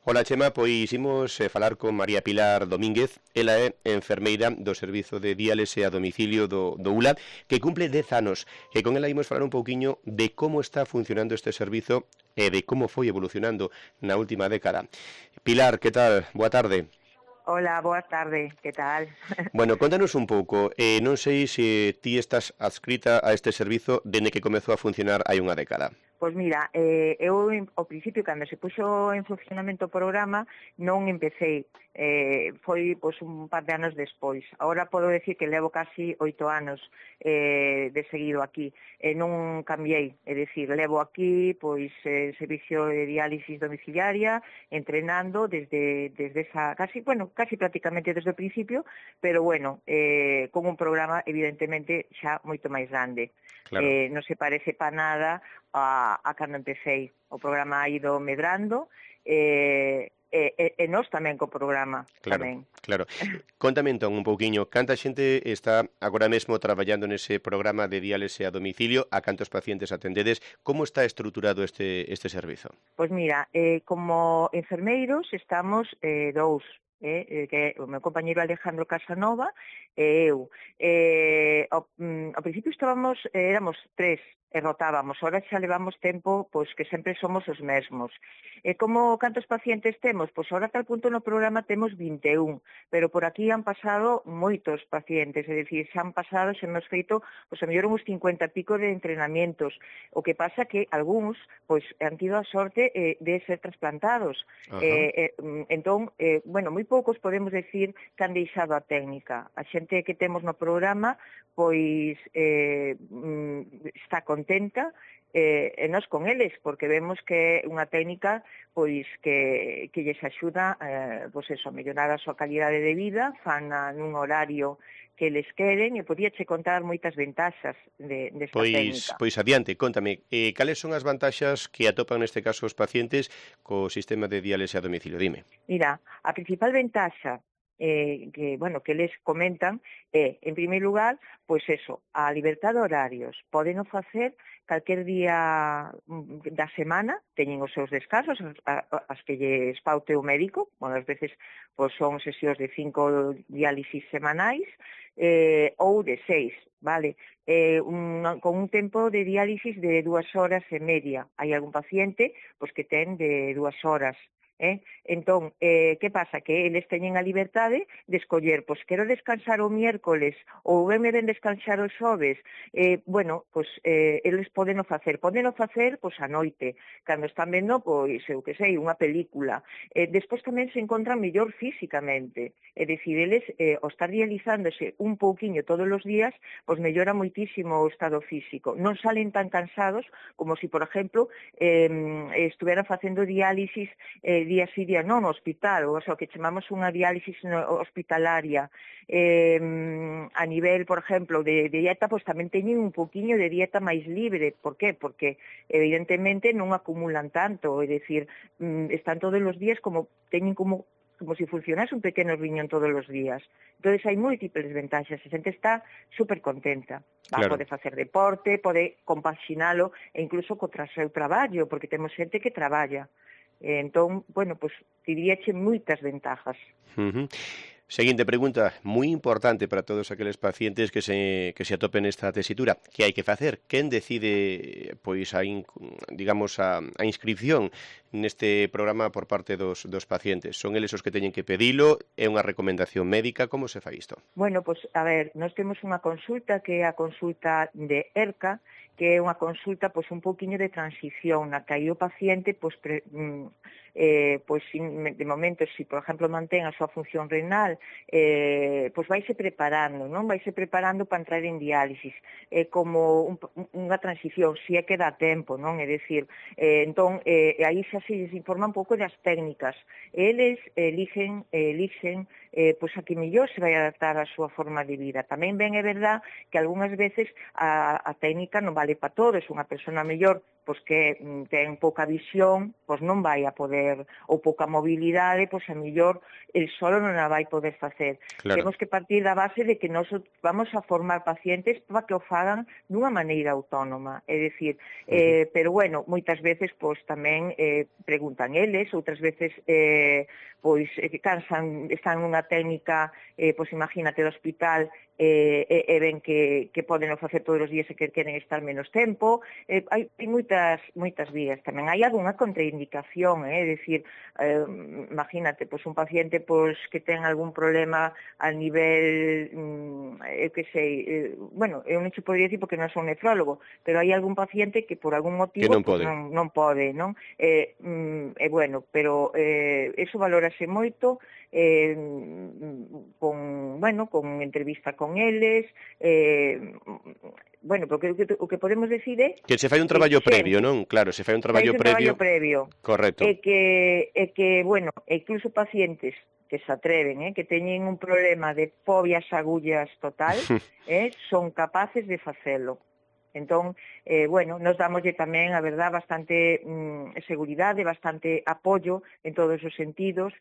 Ola, Chema, pois imos falar con María Pilar Domínguez. Ela é enfermeira do Servizo de Diálise a Domicilio do ULA, que cumple 10 anos. E con ela imos falar un pouquiño de como está funcionando este servizo e de como foi evolucionando na última década. Pilar, que tal? Boa tarde. Hola, boa tarde, que tal? Bueno, contanos un pouco. Non sei se ti estás adscrita a este servizo dende que comezou a funcionar hai unha década. Pois mira, eu ao principio, cando se puxo en funcionamento o programa, non empecé, foi pois, un par de anos despois. Agora podo decir que levo casi 8 anos de seguido aquí, non cambiei, é dicir, levo aquí pois servicio de diálisis domiciliaria, entrenando desde esa, casi prácticamente desde o principio, pero bueno, con un programa evidentemente xa moito máis grande. Claro. Non se parece para nada a cando empecé. O programa ha ido medrando e nós tamén co programa. Claro, tamén. claro. Contame entón un pouquiño, canta xente está agora mesmo traballando nese programa de diálise a domicilio, a cantos pacientes atendedes, como está estruturado este servizo? Pois mira, como enfermeiros estamos dous, que o meu compañeiro Alejandro Casanova e eu. Ao principio éramos 3 e rotábamos, ahora xa levamos tempo pois que sempre somos os mesmos. Como cantos pacientes temos? Pois ahora a tal punto no programa temos 21, pero por aquí han pasado moitos pacientes, é dicir, xa hemos feito, pois a mellor uns 50 e pico de entrenamientos. O que pasa que algúns pois han tido a sorte de ser trasplantados. Entón, bueno, moi poucos podemos decir que han deixado a técnica. A xente que temos no programa pois está contenta e nós con eles, porque vemos que é unha técnica pois que lles axuda pois eso, a mellorar a súa calidade de vida, fan nun horario que eles queren, e podíache contar moitas ventaxas desta técnica. Pois adiante, contame, cales son as vantaxas que atopan neste caso os pacientes co sistema de diálise a domicilio? Dime. Mira, a principal ventaxa que eles comentan en primeiro lugar, pois eso, a libertad de horarios. Poden facer calquer día da semana, teñen os seus descansos, as que lles paute o médico, ás veces pois son sesións de 5 diálisis semanais, ou de 6, vale? Con un tempo de diálisis de 2 horas e media. Hai algún paciente pois que ten de 2 horas. Entón, que pasa? Que eles teñen a liberdade de escoller, pois quero descansar o miércoles ou me ven descansar os xoves. Bueno, pois eles podeno facer pois a noite, cando están vendo, pois, eu que sei, unha película. Despois tamén se encontran mellor físicamente, é dicir, eles, ao estar dializándose un pouquiño todos os días, pois mellora moitísimo o estado físico. Non salen tan cansados como si, por exemplo, estuveran facendo diálisis día sí, día non no hospital, o que chamamos unha diálisis hospitalaria. A nivel, por exemplo, de dieta, pois tamén teñen un poquinho de dieta máis libre. Por qué? Porque evidentemente non acumulan tanto, é dicir, están todos os días teñen como se funcionase un pequeno riñón todos os días. Entón, hai múltiples ventaxas. A xente está super contenta. Claro. Pode facer deporte, pode compaxinalo, e incluso contra o seu traballo, porque temos xente que traballa. Entón, bueno, pois diríache moitas ventajas. Seguinte pregunta, moi importante para todos aqueles pacientes que se atopen nesta tesitura. Que hai que facer? Quen decide pois a inscripción neste programa por parte dos pacientes? Son eles os que teñen que pedilo? É unha recomendación médica? Como se fai isto? Bueno, pois, a ver, nós temos unha consulta que é a consulta de ERCA, que é unha consulta pois un pouquiño de transición, na que aí o paciente pois de momento, se por exemplo mantén a súa función renal, pois vaise preparando, non? Vaise preparando para entrar en diálisis. É como unha transición, se é que dá tempo, non? É dicir, entón, aí xa se les informa un pouco das técnicas. Eles elixen pois a que mellor se vai adaptar a súa forma de vida. Tamén ben é verdad que algunhas veces a técnica non vale para todos. Unha persona mellor pois que ten pouca visión, pois non vai a poder poder, ou pouca mobilidade, pois a mellor el solo non a vai poder facer. Claro. Temos que partir da base de que nós vamos a formar pacientes para que o fagan dunha maneira autónoma, é dicir, pero bueno, moitas veces pois tamén preguntan eles, outras veces pois cansan, están nunha técnica, pois imagínate do hospital, e ven que poden facer todos os días e que queren estar menos tempo. Hai moitas vías. Tamén hai algunha contraindicación, é dicir, imagínate, pois un paciente pois que ten algún problema a nivel, eu que sei, bueno, eu non che podría dicir porque non son nefrólogo, pero hai algún paciente que por algún motivo non pode, non pode, non? Bueno, pero eso valórase moito, con entrevista con eles, porque o que podemos decir é que se fai un traballo previo, non? Claro, se fai un traballo previo. Correcto. E que, bueno, incluso pacientes que se atreven, que teñen un problema de fobia ás agullas total, son capaces de facelo. Entón, nos damoslle tamén, a verdad, bastante seguridade, bastante apoio en todos os sentidos,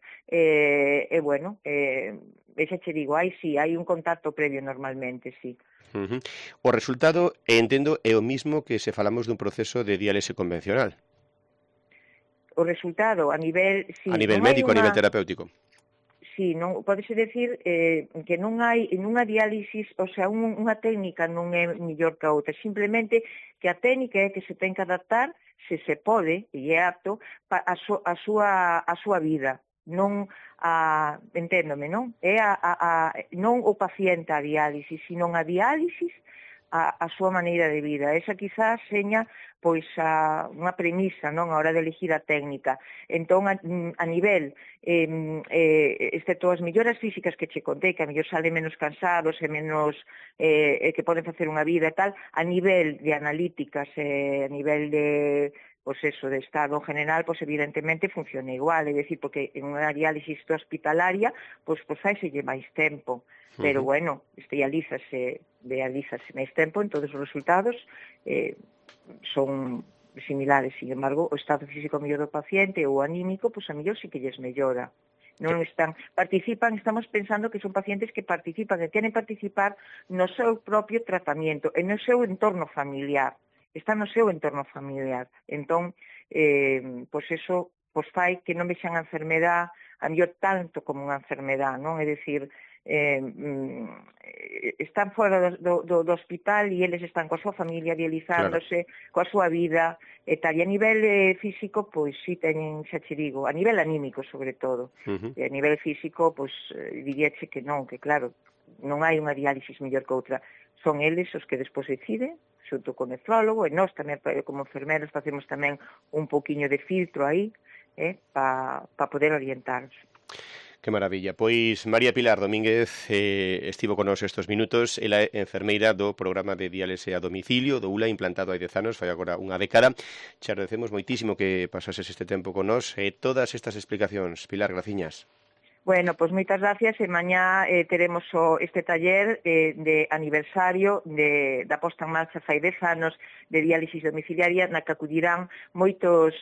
xa che digo, hai un contacto previo normalmente, sí. O resultado, entendo, é o mismo que se falamos dun proceso de diálise convencional. O resultado, a nivel... Sí, a nivel médico, a nivel terapéutico. Sí, non podese decir que non hai nunha diálisis, o sea, unha técnica non é mellor que a outra, simplemente que a técnica é que se ten que adaptar, se pode, e é apto, a súa vida, non enténdome, non? É non o paciente a diálisis, sino a diálisis a súa maneira de vida. Esa quizás seña pois unha premisa, non, a hora de elegir a técnica. Entón, a nivel, excepto as melloras físicas que che contei, que a mellor salen menos cansados e menos que poden facer unha vida e tal, a nivel de analíticas, a nivel de de estado general, evidentemente funciona igual, é dicir, porque en unha diálisis hospitalaria, faiselle máis tempo, pero bueno, dialízase máis tempo, entón os resultados son similares. Sin embargo, o estado físico mellor do paciente ou anímico, a mellor sí que lles mellora. Estamos pensando que son pacientes que participan, que queren participar no seu propio tratamento, e no seu entorno familiar. Está no seu entorno familiar. Entón, eso fai que non vexan a enfermedade a mellor tanto como unha enfermedade, non? É dicir, están fora do hospital e eles están coa súa familia dializándose, coa súa vida e tal. E a nivel físico, si teñen, xa che digo, a nivel anímico sobre todo, e a nivel físico, diríache que non, que claro, non hai unha diálisis mellor que outra. Son eles os que despois deciden, xunto con o nefrólogo, e nós tamén, como enfermeros, facemos tamén un pouquiño de filtro aí, para poder orientarnos. Que maravilla. Pois María Pilar Domínguez estivo con nós estes minutos. Ela é enfermeira do programa de diálise a domicilio do ULA, implantado hai 10 anos, fai agora unha década. Te agradecemos moitísimo que pasases este tempo con nós e todas estas explicacións. Pilar, graciñas. Bueno, pois moitas gracias, e mañá teremos este taller de aniversario da posta en marcha fai 10 anos de diálisis domiciliaria, na que acudirán moitos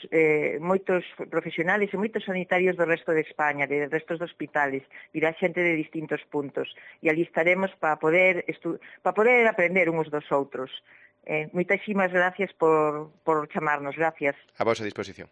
profesionales e moitos sanitarios do resto de España, de restos de hospitales, virá xente de distintos puntos, e ali estaremos para poder aprender uns dos outros. Moitísimas gracias por chamarnos, gracias. A vosa disposición.